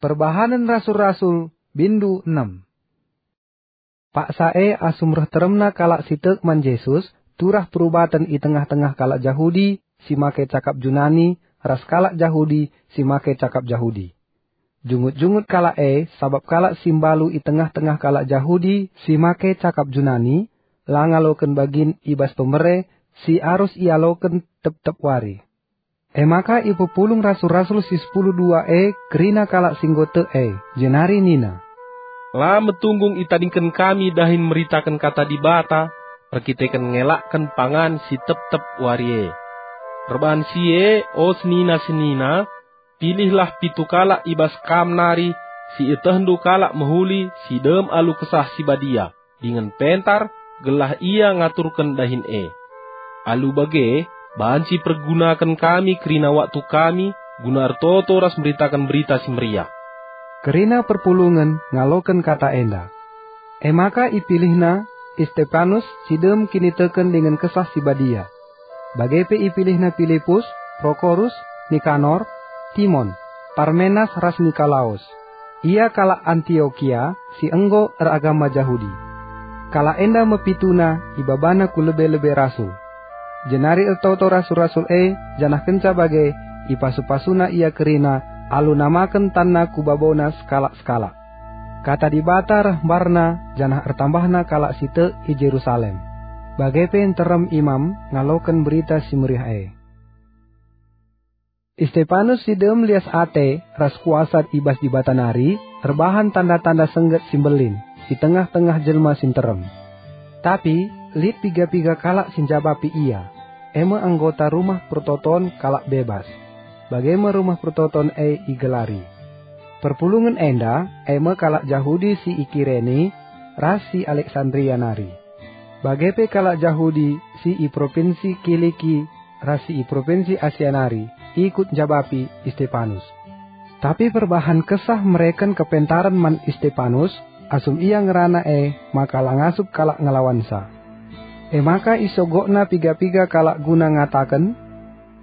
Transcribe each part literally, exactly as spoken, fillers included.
Perbahanen Rasul-Rasul, bindu enem. Paksa e asum reh teremna kalak si tek man Jesus, turah perubaten i tengah-tengah kalak Jahudi si make cakap Junani ras kalak Jahudi si make cakap Jahudi. Jungut-jungut kalak e, sabap kalak si mbalu i tengah-tengah kalak Jahudi si make cakap Junani, la ngaloken bagin i bas pemere si arus ialoken tep-tep wari. E maka ipepulung rasul-rasul si sepuluh dua e kerina kalak si enggo tek e, jenari nina, "La metunggung itadingken kami dahin meritaken Kata Dibata erkiteken ngelakken pangan si tep-tep wari e. Erbahan si e, o senina-senina, pilihlah pitu kalak i bas kam nari si ietehndu kalak mehuli si dem alu Kesah Si Badia dingen pentar, gelah ia ngaturken dahin e. Alu bage, banci pergunaken kami kerina waktu kami guna ertoto ras meritaken Berita Si Meriah." Kerina perpulungen ngaloken kata enda. E maka ipilihna Istepanus si dem kiniteken dingen Kesah Si Badia. Bage pe ipilihna Pilipus, Prokorus, Nikanor, Timon, Parmenas ras Nikolaus. Ia kalak Antiokia si enggo eragama Jahudi. Kalak enda me pituna ibabana ku lebe-lebe rasul. Jenari ertoto rasul-rasul e, janah kenca bage ipasu-pasuna ia kerina alu namaken tanna ku babona sekalak-sekalak. Kata Dibata reh mbarna, janah ertambahna kalak si tek i Jerusalem. Bage pe nterem imam ngaloken Berita Si Meriah e. Istepanus si dem lias ate ras kuasa i bas Dibata nari erbahan tanda-tanda sengget si mbelin i tengah-tengah jelma si nterem. Tapi lit piga-piga kalak si njabapi ia, e me anggota rumah pertoton kalak bebas. Bage me rumah pertoton e igelari. Perpulungen enda e me kalak Jahudi si i Kirene ras si Aleksandria nari. Bage pe kalak Jahudi si i propinsi Kiliki ras si i propinsi Asia nari ikut njabapi Istepanus. Tapi perbahan Kesah mereken kepentaren man Istepanus, asum ia ngerana e maka la ngasup kalak ngelawansa. E maka isogokna piga-piga kalak guna ngataken,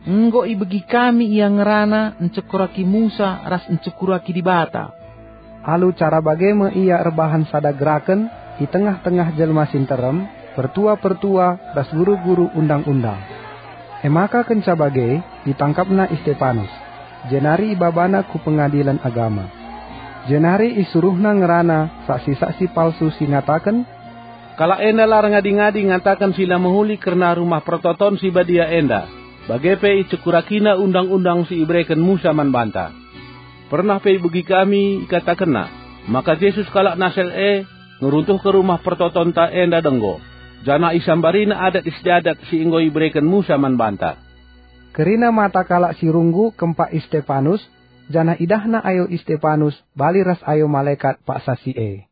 "Enggo ibegi kami ia ngerana ncekuraki Musa ras ncekuraki Dibata." Alu cara bage me ia erbahan sada geraken i tengah-tengah jelma si nterem, pertua-pertua ras guru-guru Undang-undang. E maka kenca bage itangkapna Istepanus, jenari ibabana ku Pengadilen Agama. Jenari isuruhna ngerana saksi-saksi palsu si ngataken, "Kalak enda la erngadi-ngadi ngataken si la mehuli kerna Rumah Pertoton si Badia enda, bage pe icekuraki Undang-undang si ibereken Musa man banta. Pernah pe ibegi kami ikatakenna maka Jesus kalak Nasaret e ngeruntuhken Rumah Pertotonta enda denggo, janah isambarina adat istiadat si enggo ibereken Musa man banta." Kerina mata kalak si runggu kempak Istepanus, janah idahna ayo Istepanus bali ras ayo malekat paksa si e.